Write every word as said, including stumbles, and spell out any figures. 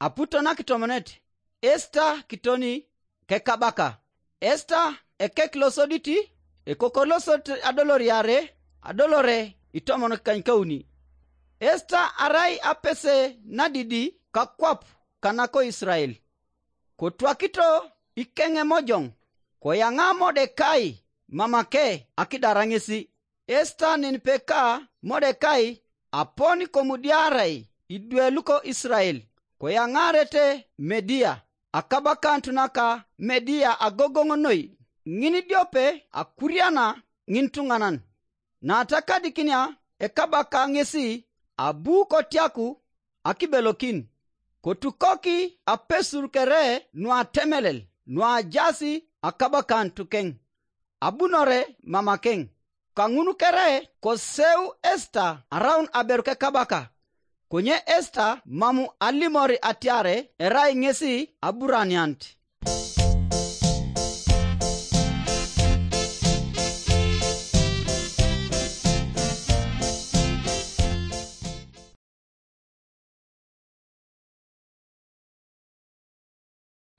Aputo nakitomonet, Esta kitoni kekabaka. Esta ekek losoditi, ekokor losodit adoloriare, adolore itomon kanykauni. Esta arai apese nadidi kakwap kanako Israel. Kotwakito ikeŋemojoŋ, koyaŋa Modekai mamake akidara ŋesi. Esta nenipeka Modekai apon komudiarai idwe luko Israel, koyaŋarete Media, akabakanut naka Media agogoŋ noi, ŋin idiope akuriana ŋintuŋanan. Natakadikinia ekabaka ŋesi abu kotiaku akibelokin, kotukoki apesur kere nuatemelel nuajaas akabakanut keŋ, abunore mamakeŋ. Kaŋun kere koseu Esta araun aberu kekabaka, konye Esta mam alimor atiar erai ŋesi aburanianit.